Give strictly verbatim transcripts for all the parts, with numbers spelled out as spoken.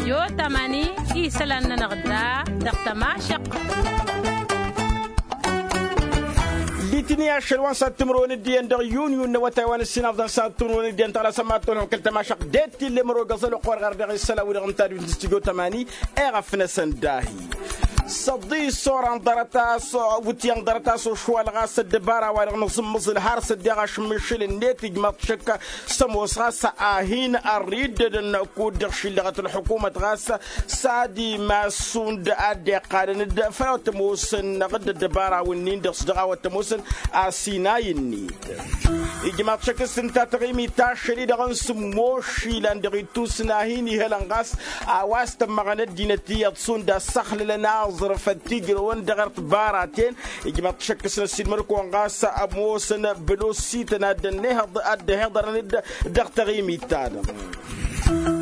Io tamani isălan-nănăɣ da dăɣ-tămašăq. Litini ašăl wa n-sattǝmrăwăn d-iyyăn dăɣ-yun yun n-awătay wa n-ǝssin aḍan sattǝmrăwăn d-iyyăn tăɣlasăm ad-tolhăm kăl-tămašăq d-tillem ăro găẓăl oqor ɣar dăɣ-isălan wi-dăɣ n-tadwit n-stujo tămani. Eɣăf-năsăn dahi. Săḍi s-oran ḍarăt-as wǝtyan ḍarăt-as ošwal ɣas ăddăbara-wa-dăɣ nǝẓǝmmăẓǝl har s-ăddeɣ ašǝmmišǝl-net ijmaḍ šăkka. S-ămoos ɣas a hin-ărriddădăn kud-dăɣ šillăɣăt ălḥukumăt ɣas s-ad-imas šund a dd-iqqalăn-dd făll-a-wa t-ămoosăn ăɣ dd-ăddăbara-wǝnnin-dăɣ s-dăɣ-a-wa t-ămoosăn. Asinay-net ijmaḍ šăkk s-ǝnta taɣimit ta ašăl-i-dăɣ n-sǝmmos išilan dăɣ-ittus n-ad-hin-ihălăn ɣas a-wa s-tămmăɣăn ăddinăt iyyăḍ šund a ǝssăxlălăn aẓrǝf ătijrăwăn dăɣ-ert baraten. Ijmaḍ šăkk s-năssiilmăr-kăwăn ɣas ămoosăn bălosităn ad-dd-ănneheḍ ad-dd-ăhiḍărăn-dd dăɣ-taɣimit-ta-dăɣ.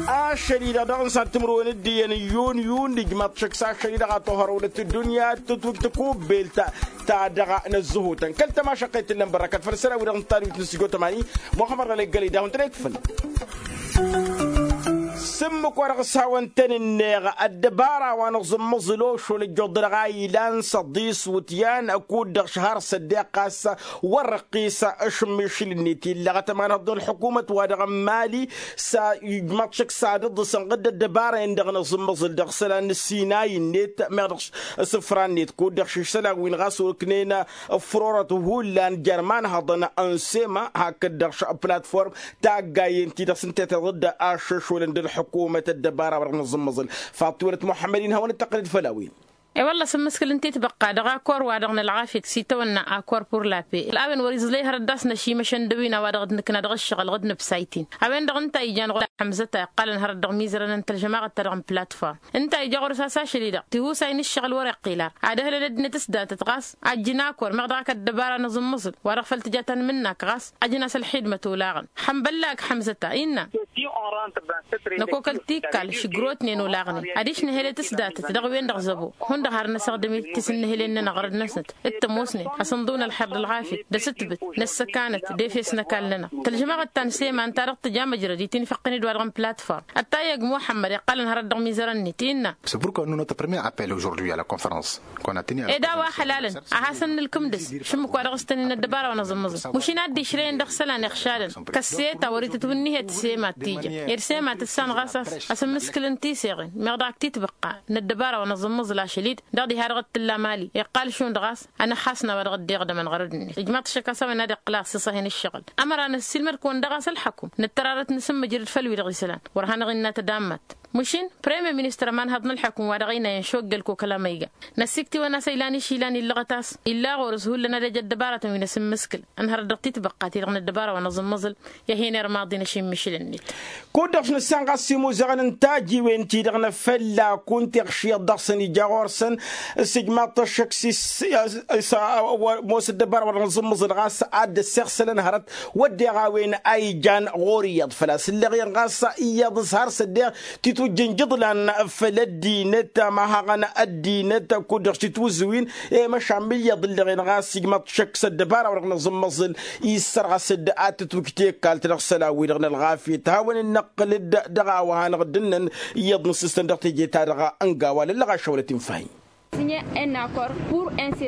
Ašăl-i-dăɣ dăɣ-insan timǝrwen d-iyyăn n-yun yun ijmaḍ šăkk s-ašăl-i-dăɣ a tohărăwlăt ăddunya tǝtwǝj tăkubbelt ta dăɣ-năzzăhutăn kăl-tămašăqqet tǝllăn bărrăkăt făll-isălan-wi-dăɣ n-tadwit n-sǝjo tămani. Muxămmăd ɣălăy gălăy d-ad-hawăn-tăn-ikfǝl. S-ǝmmǝk wa dăɣ-s hawăn-tăn-ǝnneɣ ăddăbara wa nǝẓǝmmăẓǝl ošol ăjjoḍ dăɣ-a ilan săḍis wǝtyan ăkud-dăɣ šăhar s-ăddeɣ ɣas wăr-ăqqis ašǝmmišǝl-net illăɣăt ămanhăḍ n-ălḥukumăt wa dăɣ-n mali. S-ijmaḍ šăkk s-ad-ǝḍǝsăn ɣǝdd ăddăbara-en-dăɣ nǝẓǝmmăẓǝl dăɣ-isălan n-ăssinay-net meɣ dăɣ-s isǝfra-net kud-dăɣ šǝšsălan-win ɣas oknen ăffărorăt hullan jer-imanhăḍăn n-sema hakd-dăɣ platform taggayen-ti-dăɣ s-ǝnta i-tiḍǝdda aššăšolăn d-ălḥukumăt ăddăbara wa dăɣ-nǝẓǝmmăẓǝl. Faḍt-tiwălăt muḥămmăd-in hawăn-dd-tăqqǝlăd făll-a-wen. E-wălla s-ǝmmǝskǝl ǝnta itbăqqa dăɣ-akor-wa-dăɣ n-ălɣafyăt s-itawănna akor pur la pe a-wen wăr-iẓlăy hărăt d-asnăšimăšăn d-ăwin a-wa dăɣ-dd-nǝkna dăɣ-ǝššăɣǝl ɣǝd n-ăbsaytin. A-wen-dăɣ ǝnta a ijan ɣur-ălḥămzăt a iqqalăn hărăt dăɣ-imizărăn n-tălžămaɣăt-ta-dăɣ n-platform ǝnta a ija ɣur-s a-s ašăl-i-dăɣ tihusay n-ǝššăɣǝl wăr-iqqil ar ad-ăhlăl ăddinăt s-datăt ɣas a ǝjjǝn akor meɣ dăɣ-ak ăddăbara n-aẓǝmmǝẓǝl wa dăɣ-făl tǝja tanmǝnnak ɣas ăjăn-as ălxidmăt olaɣăn. Ḥănbăllak ḥămzăt-a innă năkokăl tikkal šǝgrotnen olaɣnen adiš nǝhălet s-datăt dăɣ-wen-dăɣ zăbo hundăɣ har năsăɣdǝm-i tisǝnnǝhǝlen-nănăɣ ɣărăd-năsnăt d-tămoosnen asǝnḍǝw n-ălxer d-ălɣafyăt d-asǝtbǝt n-ăssăkanăt d-efes n-ăkall-nănăɣ. Tălžămaɣăt ta n-sema ǝnta-dăɣ tǝja măjrăd itinfăqqăn-dd wa dăɣ-n platform ăttayăg muḥămmăd iqqălăn hărăt dăɣ-mizărăn-net innă. Săburkăwăn-nănăɣ tăprămya appel ojordwi a la confărăns. Ed a-wa hălalăn a hasăn-nǝlkǝm dăr-s šǝmmǝk wa dăɣ-s tăn-in-ăddăbara wa n-aẓǝmmǝẓǝn mašin ad-dd-išrăyăn dăɣ-isălan iɣšadăn kăsseta wăr-itǝtwǝnnihet sema t-ija ed sema tǝssan ɣas a-s asǝmmǝskǝlăn tiseɣen meɣ dăɣ-ak titbăqqa n-ăddăbara wa n-aẓǝmmǝẓǝl ašăl-i-dd dăɣ-diha-dăɣ d-tǝlla mali iqqal šund ɣas anăxxasna wa dăɣ-dd-iɣdămăn ɣărăd-net ijmaḍ-t šăkk a-s a-wen ad-iqqǝl aɣsǝs a hin-ǝššăɣǝl. Ămăra năssiilmăd-kăwăn dăɣ-a-s ălḥăkum nǝttăr arăt nǝsǝmmǝjrǝd făll-wi-dăɣ isălan wăr hanăɣ-innă tadammat. Mašin premier ministăr ămanhăḍ n-ălḥăkum wa dăɣ-ăynayăn šoggăl kokăl amăyga năssiktǝwăn a-s ăylan išilan illăɣăt a-s illa ɣur-s hullan ad-ăj ăddăbaratăn wi n-asǝmmǝskǝl ănhărăt dăɣ-titbăqqa-ti-dăɣ n-ăddăbara wa n-aẓǝmmǝẓǝl. I-ad-hin-irmaḍin ašimmišǝl-net. Kud-dăɣ s-nǝssan ɣas s-imuzăɣăn n-tajiwen-ti-dăɣ n-afălla kunta iɣšǝyăḍ dăɣ-săn ija ɣur-săn s-ijmaḍ-t ăššăk s-imoos ăddăbara wa dăɣ-nǝẓǝmmǝẓǝl ɣas ad-dd-ăssiɣsălăn hărăt wădden a-wen a ijan ɣur-iyyăḍ făl-a-s ǝlleɣ-in ɣas iyyăḍ s-har s-ăddeɣ titwǝjjăn jǝḍlan făll-ăddinăt a mahaɣăn ăddinăt kud-dăɣ s-titwǝzǝwin. I-măšan mǝyyăḍ ǝlleɣ-in ɣas ijmăḍ šăkk s-ăddăbara wa dăɣ-nǝẓǝmmăẓǝl issărɣăs-dd ad-tǝtwǝj tekkalt dăɣ-isălan-wi-dăɣ n-ălɣafyăt hawăn-in-năqqǝl-dd dăɣ-a-wa hanăɣ-dd-ǝnnăn iyyăḍ n-asǝstăn dăɣ-teje-ta-dăɣ ănga a-wa lăllăɣ ašăwălăt infahi.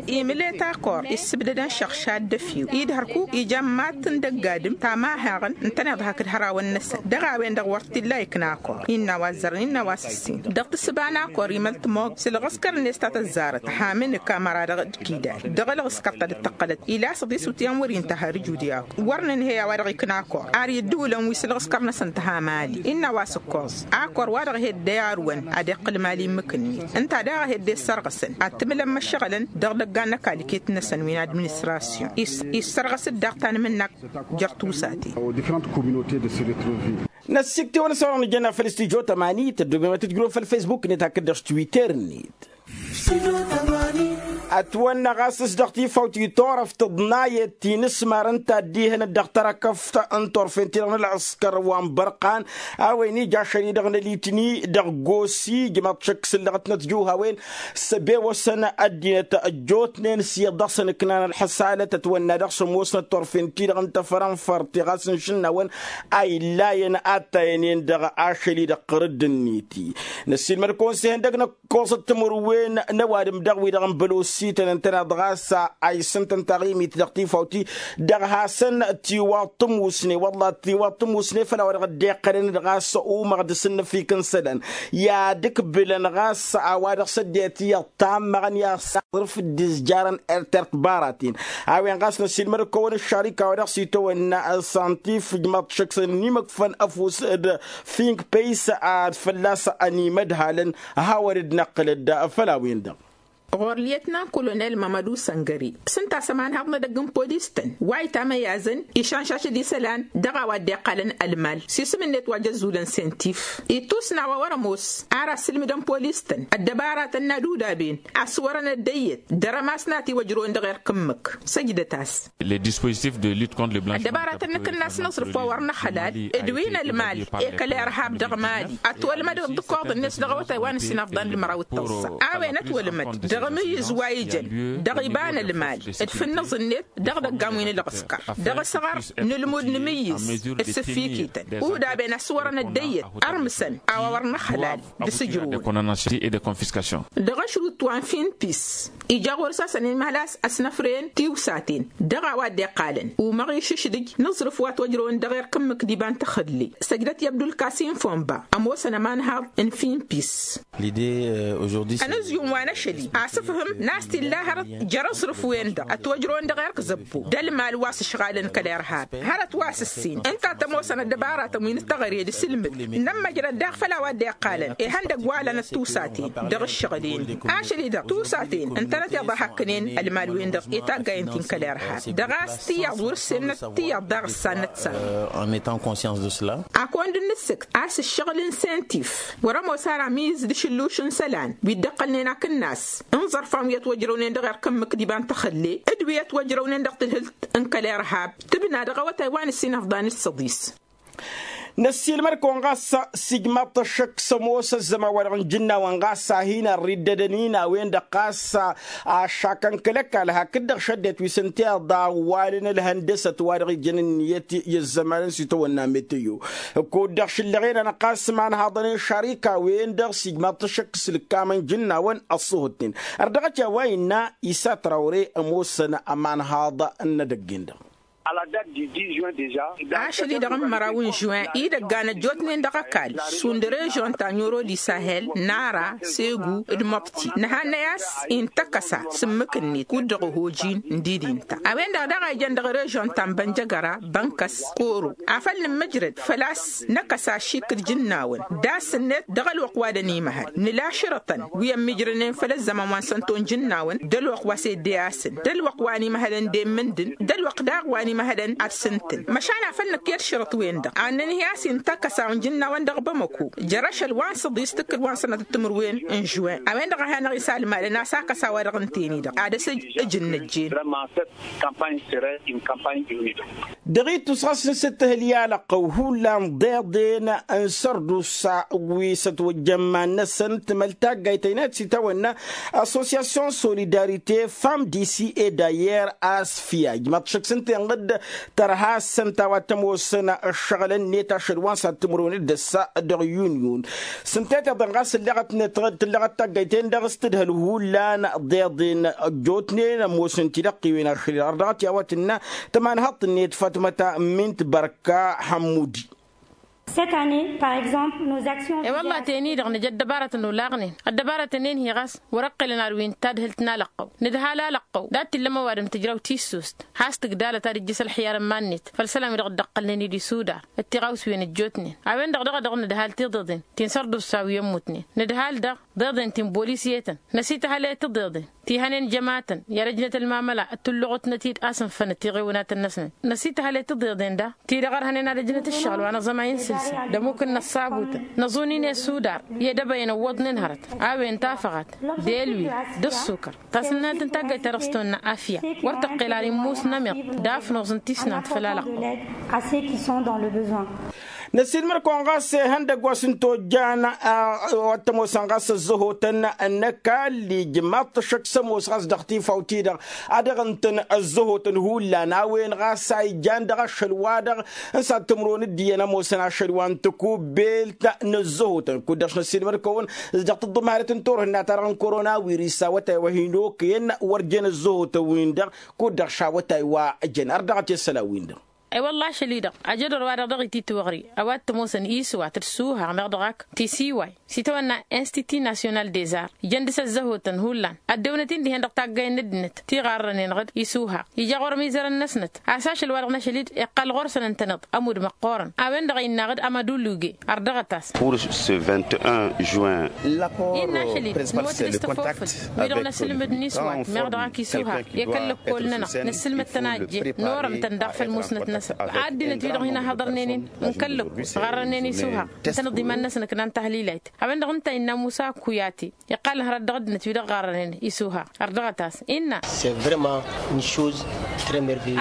Imǝlet akor issǝbdădăn šăɣšad d-efew-i d-hărkuk ija n-mad-tǝndăgg adǝm tamahaɣăn ǝntăneḍ hakd hărawăn-năsăn dăɣ-a-wen-dăɣ wăr t-illa ikna akor innă a-wa ăzzărăn innă a-wa s-ǝssin dăɣ-tǝssǝba n-akor imăl tămoog s-ǝlɣǝskăr-net ta tăzzarăt hamǝnǝk amăra dăɣ-dd-kidal dăɣ-ălɣǝskăr ta dd-tăqqălăt ila s-ăḍis wǝtyan wăr-intăhăr ǝjud i-akor wăr nǝnhăy a-wa dăɣ-ikna akor ar i-ǝddǝwǝlăn wi s-ǝlɣǝskăr-năsăn tǝha mali innă a-wa s-ǝkkoẓ akor wa dăɣ-hedde arwăn ad-iqqǝl mali n-imǝkǝnnet ǝnta daɣ a hedde ǝssărɣǝsăn ad-tǝmǝlăn măššăɣǝlăn dăɣ-idăggan n-ăkall iket-năsăn wi n-administrasyon issărɣăs-dd daɣ tanmǝnnak jer-tusaten. Năssiktewăn s-a-wa dăɣ-nǝjjănna făll-stujo tămani tăddobem ad-tǝjrǝwăn făll-facebook-net hakd dăɣ-twitter-net. Ătwănna ɣas s-dăɣ-tifawt itorăf tǝḍnayăt ti n-asmar n-taddihăn dăɣ-tărăkăft n-turfen-ti-dăɣ n-ălɣǝskăr wa n-bărqan. A-wen ija ašăl-i-dăɣ n-ălitni dăɣ-gosi ijmaḍ šăkk s-ǝllăɣătnăt juhawen s-ăbewăsăn ăddinăt ăjjootnen s-iyyăḍ dăɣ-săn ǝknan ălḥăsalăt ătwănna dăɣ-s ămoosnăt turfen-ti-dăɣ n-tafărănfăr ti ɣas n-išǝnnawăn a illayăn attayăn-en-dăɣ ašăl-i-dăɣ ɣur-dd-net. Năssiilmăd-kăwăn s-ihăndăg n-ăkkoẓăt timǝrwen n-ăwadǝm dăɣ-wi-dăɣ n-bălosităn ǝntăneḍ ɣas a isǝntăn taɣimit dăɣ-tifawt-i dăɣ-hasăn-tiwaḍ tămusne wălla tiwaḍ tămusne făll-a-wa-dăɣ dd-iqqălăn-dd ɣas umăɣ d-asǝnnăfik n-isălan i-ad-ǝkbǝlăn ɣas a-wa-dăɣ s-ăddinăt iyyăḍ tammăɣăn i-ad-săɣrǝf dd-izjarăn ertert baraten. A-wen ɣas năssiilmăd-kăwăn ǝššarika wa dăɣ-s itawănna ălsantif ǝjmaḍ šăkk s-ănimăkfăn ăfuss d-fink păys ad-fălla-s ănimădhalăn. Hawăn-dd-năqqǝlăd făll-a-wen-dăɣ. Ɣur-li etnan kolonel mamădu săngări s-ǝnta a-s ămanhăḍ n-edăgg n-polis-tăn wa itamăyazăn išanšašăd isălan dăɣ-a-wa dd-iqqalăn ălmal s-isǝm-net wa jăzzulăn sentif. Ittus n-a-wa wăr-ămoos ar asǝlmǝdăn polis-tăn ăddăbaratăn n-ad-udaben a-s wărăn ăddăyyăt dăr-ămasnat iwăjrăwăn dăɣ-erk ǝmmǝk. Săjdăt-as. Ăddăbaratăn n-akǝnnas n-aẓrǝf wa wăr nǝxălal d-wi n-ălmal i-kăl-irhab dăɣ-mali ătwălmăd d-ǝkkoḍ-net dăɣ-awătay wa n-ǝssin afḍăn d-măraw d-tăẓẓa. A-wen ătwălmăd dăɣ-amǝyyǝz wa ijăn dăɣ-iba n-ălmal d-fǝnnǝẓ-net dăɣ-idăggan wi n-ǝlɣǝskăr dăɣ-asăɣăr n-ǝlmud n-amǝyyǝz d-sǝffikităn udaben a-s wărăn ăddăyyăt ărmǝsăn a-wa wăr nǝxălal d-sǝjrǝwăn. Dăɣ-ašrut wa n-finpis ija ɣur-s a-s ănimhăl a-s ăsnăfrăyăn tiwsaten dăɣ-a-wa dd-iqqalăn umăɣ išǝšdǝj n-aẓrǝf wa ătwăjrăwăn dăɣ-erk ǝmmǝk d-iba n-taxălle. Săjdăt i-abdulkasim fonba ămoosăn ămanhaḍ n-finpis. Ănǝzjum wa n-ašăl-i asǝfhǝm n-a-s t-illa hărăt jer-aẓrǝf-wen-dăɣ ătwăjrăwăn dăɣ-erk zăbbo d-ălmal wa s-ǝšɣalăn kăl-irhab hărăt wa s-ǝssin ǝnta a tămoosăn ăddăbaratăn wi n-ăttăɣăre d-asǝlmǝd. Nămmăjrăd daɣ făll-a-wa dd-iqqalăn ihăndăgg wa lănăt tusaten dăɣ-ǝššăɣǝl-en-dăɣ ašăl-i-dăɣ tusaten ǝntănăt iḍa hakkǝnen ălmal-wen-dăɣ i-taggayen-tin kăl-irhab dăɣ-a-s tiyyăḍ wăr-ǝssemnăt tiyyăḍ daɣ ǝssan năt-săr. Ak-wăn dd-nǝssǝkt a-s ǝššăɣǝl n-sentif wăr-ămoos ara amǝyyǝz d-ašǝlluš n-isălan wi dd-ǝqqălnen akǝnnas n-iẓărfan wi ătwăjrăwnen dăɣ-erk ǝmmǝk d-iba n-taxălle d-wi ătwăjrăwnen dăɣ-tǝdhǝlt n-kăl-irhab tǝbna dăɣ-awătay wa n-ǝssin afḍan d-săḍis. Năssiilmăd-kăwăn ɣas s-ijmaḍ-t ăššăk s-ămoos ăzzăman-wa-dăɣ n-ijǝnnawăn ɣas a hin-ărriddădăn-in a-wen-dăɣ ɣas ašakăn kăl-ăkall hakd-dăɣ šăddinăt wi s-ǝnta iḍa ăwwalăn ălhăndăsăt wa dăɣ-ijăn ǝnniyăt i-ăzzăman n-sitawănna meteyo. Kud-dăɣ šǝllăɣen-anăɣ ɣas imanhaḍăn n-išarika-wen-dăɣ s-ijmaḍ-t ăššăk s-lǝkkamăn ijǝnnawăn ăṣṣuhǝt-ten. Ărdăɣăt i-a-wa innă isa trawre ămoosăn ămanhaḍ n-edăgg-en-dăɣ. Ašăl-i-dăɣ n-măraw n-žuin idăggan ăjjootnen dăɣ-ăkall šund režon ta n-oro d-isahel nara segu d-măbti nǝhannăy a-s intăkăsa s-ǝmmǝk-net kud-dăɣ ohojin n-didin-ta a-wen-dăɣ daɣ a ijăn dăɣ-režon ta n-bănjăgăra bănkăs koro afăl nǝmmǝjrăd făl-a-s năkăs ašik d-ijǝnnawăn d-asǝnnet dăɣ-ălwăqq wa dănimăhăl nǝla ašrătăn wi ămmijrănen făll-ăzzăman wa n-sănto n-ijǝnnawăn d-ălwăqq wa s-edde asǝn d-ălwăqq wa n-imăhălăn d-emmǝndǝn d-ălwăqq daɣ wa n-imăhălăn ad-sǝntǝn măšan afăl nǝkk i-ălšărăt-wen-dăɣ ad-nǝnhǝy a-s intăkk ăsaw n-ijǝnnawăn dăɣ-bamăko. Jer-ašăl wa n-săḍis tǝkkǝl wa n-sănatăt timǝrwen n-žuwen a-wen-dăɣ a hanăɣ-isalmad ănn a-s akăs a-wa-dăɣ ǝnten-i-dăɣ ad-dăɣ-s ǝjǝnnăjjen. Dăɣ-ittus ɣas n-sǝttǝhǝl i-alăqqăw hullan ḍeḍen n-sărdusa wi s-ătwăjja iman-năsăn tǝmăl taggayt ăynayăt s-itawănna assosyasyon solidarite fam disi e dayer a-s fiyaj măḍšăk s-ǝnta inɣǝd tărha s-ǝnta a-wa t-ămoosăn ǝššăɣǝl-net ašăl wa n-sad-timǝrwen d-ăssa dăɣ-yunyon. S-ǝnta i-tiḍen ɣas tǝlleɣăt-net tǝlleɣăt taggayt-en-dăɣ s-tǝdhǝl hullan ḍeḍen ăjjootnen ămoosăn-t-dd ăqqiwen ašăl-i-dăɣ ărdăɣăt i-a-wa tǝnna tămanhăḍt-net fatmăta min tibărka hămmudi. Cette année par exemple nos actions. E-wălla-ten-i-dăɣ nǝja ăddăbarătăn olaɣnen ăddăbarătăn-en-hi ɣas wăr-ăqqǝlăn ar wi n-tadhǝlt n-alăqqăw nǝdhal alăqqăw dat-t-illa ămoos ăwadǝm tǝjraw tissust has-tǝgdalăt ad-ǝjjǝs ălxiyar n-iman-net făll-isălan-wi-dăɣ dd-ăqqălnen-dd isudar d-tiɣawsiwen ăjjootnen a-wen-dăɣ dăɣ-a dăɣ-nǝdhal tiḍeḍen ti n-sărdusa wi ămmutnen nǝdhal-dăɣ. Tiḍeḍen ti n-bolis i-etăn năsităhăle tiḍeḍen ti hănen jămatăn i-ad-ăjnăt ălmamăla d-tulluɣutnăt-dd a-s ǝnfănăt tiɣiwǝnatăn-năsnăt. Năsităhăle tiḍeḍen da ti-dăɣ ărhănen ad-ăjnăt ǝššăɣǝl wa năẓămay n-sǝlsǝl d-ămmuk n-ăṣṣabutăn năẓunin i-sudar i-edăbăyăn ăwwăḍnen hărăt a-wen tafăɣat d-elwil d-ăṣṣukăr. Tasǝnnant n-taggayt-ta-dăɣ s-tăwănna afya wăr tăqqel ar immus n-amiḍ d-afnuẓ n-tisnant făll-alăqqăw. Năsiilmăr-kăwăn ɣas ihăndăgg wa s-ǝnta ojjan a wa t-ămoosăn ɣas ăzzăhotăn n-ăkall ijmaḍ-t ăššăk s-ămoos ɣas dăɣ-tifaw-ti-dăɣ ad-dăɣ-ǝntăn ăzzăhotăn hullan a-wen ɣas a ijan dăɣ-ašăl-wa-dăɣ n-sad timǝrwen d-iyyăn ămoosăn ašăl wa n-tăkubbelt n-ăzzăhotăn kud-dăɣ s-năssiilmăr-kăwăn s-dăɣ-tǝḍḍǝm harăt n-turhǝnna-ta-dăɣ n-korona wiris a wătay wa hin-okăyăn wăr jen ăzzăhotăn-win-dăɣ kud-dăɣ šawătay wa jăn ărdăɣăt i-ăssălan-win-dăɣ. Ewălla ašăl-i-dăɣ ajădor wa-dăɣ dăɣ-ititwăɣri a-wa t-ămoosăn isuha tăt-suha meɣ dăɣ-ak tisiway s-itawănna institut national des arts ijăn dăɣ-s ăzzăhotăn hullan ăddewnăt-in dihen dăɣ-taggayăn n-ăddinăt tiɣarrănen ɣǝd isuha ija ɣur-ămizărăn-năsnăt a-s ašăl wa dăɣ-n ašăl-i-dd iqqal ɣur-săn ǝntăneḍ ămudd măqqoorăn. A-wen-dăɣ a innă ɣǝd amăduluge ărdăɣăt-as. Pour ce vingt et un juin. Innă ašăl-i-dd nǝwăt d-s tăfofǝl wi-dăɣ n-asǝlmǝd n-iswat meɣ dăɣ-ak isuha i-kăl-lăkkol-nănăɣ năssǝlmăd-tăn a ăjjeen norăm-tăn daɣ făll-musnăt-năsăn. Ăddinăt wi-dăɣ hin-ăhhăḍărnen-in n-kăl-lăkkol ɣărrănen isuha ǝntăneḍ iman-năsăn ǝknan tahlilăyt. A-wen-dăɣ ǝnta innă musa kuyati iqqalăn hărăt dăɣ-ăddinăt wi-dăɣ ɣarrănen isuha. Ărdăɣăt-as innă.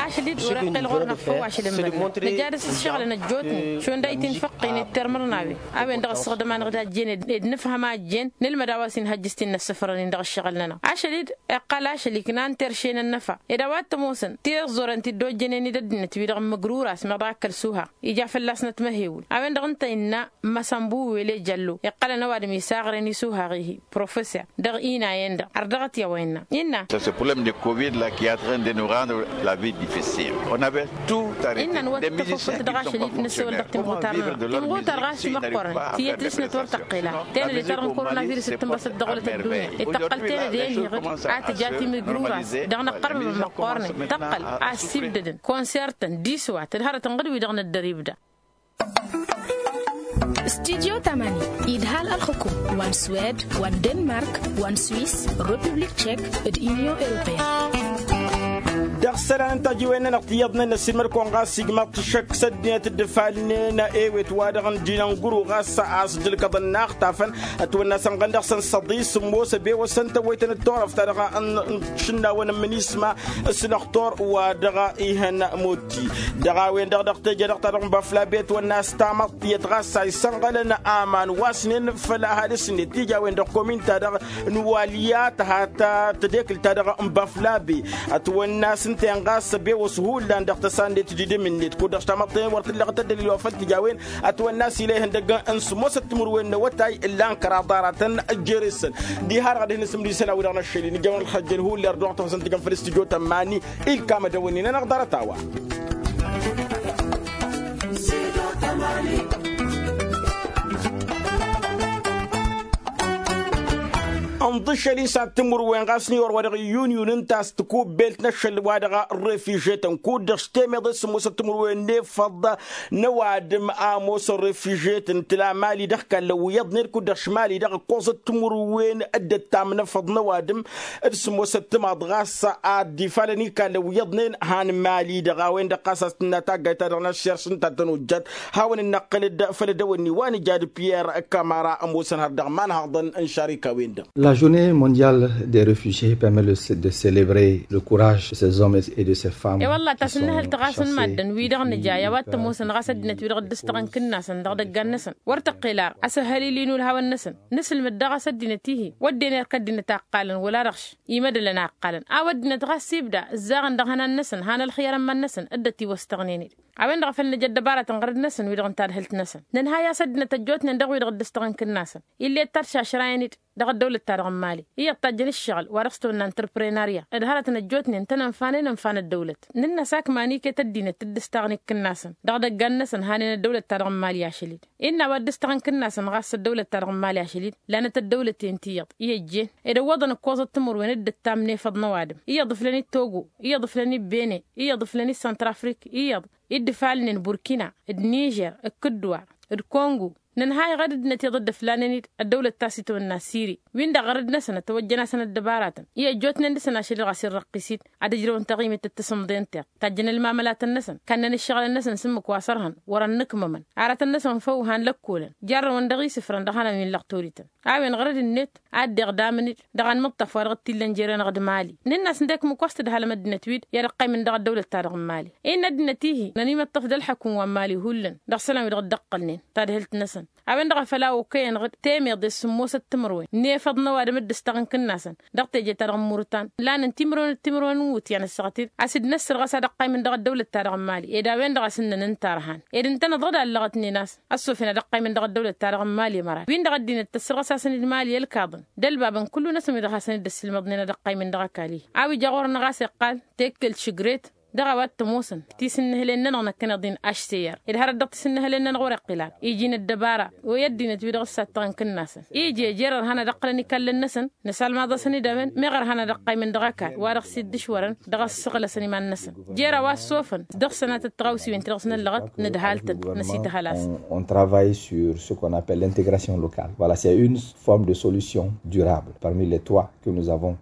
Ašăl-i-dd wăr-iqqel ɣur-năɣ făw ašăl n-imădnăt nǝja dăɣ-s ǝššăɣǝlăn ăjjootnen šund a itinfăqqin d-termărnawen a-wen-dăɣ ǝssăɣdăm-anăɣ d-a ăjjeen ed nǝfhăm a ăjjeen nǝlmăd a-wa s-inhăjjǝs ti n-inăssăfrăn-in dăɣ-ǝššăɣǝl-nănăɣ. Ašăl-i-dd iqqal ašăl iknan terše n-ănnăfa ed a-wa t-ămoosăn tiẓẓurăn ti dd-ojjănen-dd ăddinăt wi-dăɣ n-măgrura-s meɣ dăɣ-ak kăl-suha ija fălla-snăt măhewǝl. A-wen-dăɣ ǝnta innă măsănbu wele jăllo iqqălăn ăwadǝm isaɣren isuhaɣ-ihi professor dăɣ-inayen-dăɣ ărdăɣăt i-a-wa innă innă. Innă n-wăr tăfăfălt dăɣ-ašăl-i-dd năssewăl dăɣ-timɣutar-nănăɣ timɣutar ɣas ti măqqoorăn ti ătlǝsnăt wăr tăqqel a tenăde ta dăɣ-n korona virus d-tǝnbăsăt dăɣ-wălăt ăddunya itaqqăl tenăde i-ănhiɣ-dd a tǝja timǝgrura-s dăɣ-năqqăr măqqoornen tăqqăl a ăssibdădăn konsertăn diswat d-hărătăn ɣǝd-wi-dăɣ năddăr ibda. Studyo tamani idhal ălxukum wa n-swed wa n-denmark wa n-swis, republik tchek d-inyon europeyăn. Dăɣ-isălan n-tajiwen-nănăɣ tiyyăḍnen n-ăssiilmăd-kăwăn ɣas ijmaḍ-t ăššăk s-ăddinăt dd-ǝfalnen ewet wa dăɣ-n dinănguru ɣas a-s dd-ǝlkăḍăn n-a ăxtafăn ătwănna sănɣăn dăɣ-săn săḍi s-ămoos ăbewăsăn tăwwăytăn d-turăft ta dăɣ-n šǝnnawăn n-imǝnisma s-lăxtur wa dăɣ-ihăn mot ti dăɣ-a-wen-dăɣ dăɣ-teje dăɣ-ta-dăɣ n-băflabe ătwănna s-tamăḍt tiyyăt ɣas a isănɣălăn aman wa s-nen făll-ahadǝs-net tija a-wen-dăɣ komin-ta-dăɣ n-walya tăha ta tădekǝlt-ta-dăɣ n-băflabe ătwănna s-ǝnta-en ɣas ăbewăs hullan dăɣ-tăsandet d-idǝm-net kud-dăɣ s-tamăḍt-en wăr t-ǝllăɣăt ăddălil wa făl tǝja a-wen ătwănna s-ila ihăndăg n-sǝmmosăt timǝrwen n-awătay ǝllan kăraḍ aratăn ăjjere-săn. Diha-dăɣ ad-hin-nǝsǝmdǝy isălan-wi-dăɣ n-aššăl-i nǝjăwăn ălxăjjăl hullan dăɣ-tăɣsăn tǝjăn făll-studyo tămmani. Ilkam ad-dăwănnin-anăɣ ḍarăt-a-wa. Ǝnḍǝššăl-in s-ad-timǝrwen ɣas n-iwăr wa dăɣ-iyyunyun ǝnta a-s tikubbelt n-aššăl wa dăɣ-refižetăn kud-dăɣ s-temeḍe s-sǝmmosăt timǝrwen n-efăḍ n-ăwadǝm a ămoosăn refižetăn tǝla mali dăɣ-kallăn wi iyyăḍnen kud-dăɣ š-mali dăɣ-ǝkkoẓăt timǝrwen dd-ăttam n-efăḍ n-ăwadǝm d-sǝmmosăt timaḍ ɣas ad-dd-ifalăn ikallăn wi iyyăḍnen han mali-dăɣ a-wen-dăɣ ɣas a-s tǝnna taggayt-ta-dăɣ n-aššer s-ǝnta tănojjat. Hawăn-ănnăqqǝl-dd făll-ădăwănni wa nǝja d-piyyer kămăra ămoosăn har dăɣ-imanhaḍăn n-šarika-wen-dăɣ. La journée mondiale des refugiés permet de célébrer le courage de ces hommes et de ces femmes. I-wălla tasǝnnăhălt ɣas n-maddǝn wi-dăɣ nǝja i-a-wa t-ămoosăn ɣas ăddinăt-wi-dăɣ dd-ǝstăɣăn kǝnnasăn dăɣ-idăggan-năsăn wăr tăqqel ar asăhhălil-in ulhawăn-năsăn. Nǝsǝlmǝd daɣ a-s ăddinăt-ihi wădden erk ăddinăt a ǝqqalăn wăla dăɣ-š imădălăn a ǝqqalăn a-wa ăddinăt ɣas ibda ǝzzaɣăn dăɣ-ihănan-năsăn han ălxiyăr n-iman-năsăn dd-ătiwăstăɣnen-dd. A-wen-dăɣ a făl nǝja ăddăbarăt n-ɣărăd-năsăn wi-dăɣ n-tadhǝlt-năsăn nǝnhay a-s ăddinăt ăjjootnen dăɣ-wi-dăɣ dd-ǝstăɣăn kǝnnasăn ill'-e dd-taršašrayăn-dd dăɣ-ăddăwlăt-ta-dăɣ n-mali iyyăḍ tajjăn ǝššăɣǝl wa dăɣ-s tăwănna n-tărprănarya d-hărătăn ăjjootnen tăn-ănfanen ănfan ăddăwlăt. Nǝnn'-as akman iket ăddinăt dd-ǝstaɣăn i-kǝnnasăn dăɣ-idăggan-năsăn hanen ăddăwlăt-ta-dăɣ n-mali ašăl-dd. Innă a-wa dd-ǝstăɣăn kǝnnasăn ɣas ăddăwlăt-ta-dăɣ n-mali ašăl-dd lanăt ăddăwlăten ti iyyăḍ i-ăjjeen ed ăwwăḍăn ǝkkoẓăt timǝrwen dd-ăttam n-efăḍ n-ăwadǝm iyyăḍ ǝflăn-dd togo iyyăḍ ǝflăn-dd bene iyyăḍ ǝflăn-dd santrafrik iyyăḍ dd-ǝfalnen burkina d-nižer d-kǝddǝwar d-kongo nǝnhayăɣ ad-ăddinăt iyyăḍ dd-ǝflanen-dd ăddăwlăt ta s-itwănna siri win-dăɣ ɣărăd-năsăn ătwăjjăn-asăn ăddăbaratăn i-ăjjootnen dăɣ-săn ašăl dăɣ-a-s irrăqqis-dd ad-ǝjrăwăn taɣimit d-tasǝmḍe n-tiɣt tajjăn ălmamălatăn-năsăn kannăn ǝššăɣǝlăn-năsăn s-ǝmmǝk wa s-ărhăn wăr-ănnǝkmămăn aratăn-năsăn făw han lăkkolăn jarrăwăn dăɣ-isǝfrăn dăɣ-hanăn wi n-lăɣ toriten a-wen ɣărăd-net ad-dd-iɣdamăn-dd dăɣ-anmǝṭṭaf wa dăɣ-t-illăn jere-năɣ d-mali nǝnn'-as ǝndek mǝkwas tǝdhalăm ăddinăt-wi-dd i-ad-ăqqaymǝn dăɣ-ăddăwlăt-ta-dăɣ n-mali. Innă ăddinăt-ihi nănimăṭṭăf d-ălḥăkum wa n-mali hullan dăɣ-isălan wi dăɣ-dd-ăqqălnen tadhǝlt-năsăn a-wen-dăɣ a făl a okăyăn ɣǝd temeḍe s-sǝmmosăt timǝrwen n-efăḍ n-ăwadǝm dd-ǝstaɣ n-kǝnnasăn dăɣ-teje-ta-dăɣ n-murǝtan lanăn timǝrwen d-timǝrwen n-iwǝtyan ăssaɣăt-dd a-s dd-năssărɣas ad-ăqqaymǝn dăɣ-ăddăwlăt-ta-dăɣ n-mali ed a-wen-dăɣ a-s ǝnnăn ǝnta ărhan ed ǝntăneḍ ɣǝd a ăllăɣătnen a-s ăssofăn ad-ăqqaymǝn dăɣ-ăddăwlăt-ta-dăɣ n-mali ămăra wi n-dăɣ ăddinăt tăssărɣăs-asăn-dd mali ălkaḍăn d-ălbabăn kullu-năsăn wi dăɣ-hasăn-dd-ăssǝlmăḍnen ad-ăqqaymǝn dăɣ-ăkall-i a-wi ja ɣur-năɣ a-s iqqal tekkelt šǝgret dăɣ-a-wa t-ămoosăn tisǝnnǝhǝlen-nănăɣ năkkăneḍ-in ašter ed hărăt dăɣ-tisǝnnǝhǝlen-nănăɣ wăr-iqqǝl ara iji n-ăddăbara. Wi ăddinăt wi dăɣ-ǝssattăɣăn kǝnnasăn iji jer-ărhan ad-ǝqqǝlăn ikallăn-năsăn nǝsalmaḍ-asăn-dd a-wen meɣ ărhan ad-ăqqaymǝn dăɣ-ăkall wa dăɣ-s dd-ǝšwărăn dăɣ-ăssăɣlăsăn iman-năsăn. Jer-a wa ăssofăn dăɣ-sănatăt tăɣawsiwen ti-dăɣ s-năllăɣăt nǝdhal-tăn năsităhăl-asăn. On travaille sur ce qu'on appelle l'intégration locale. Voilà, c'est une forme de solution durable parmi les trois que nous avons.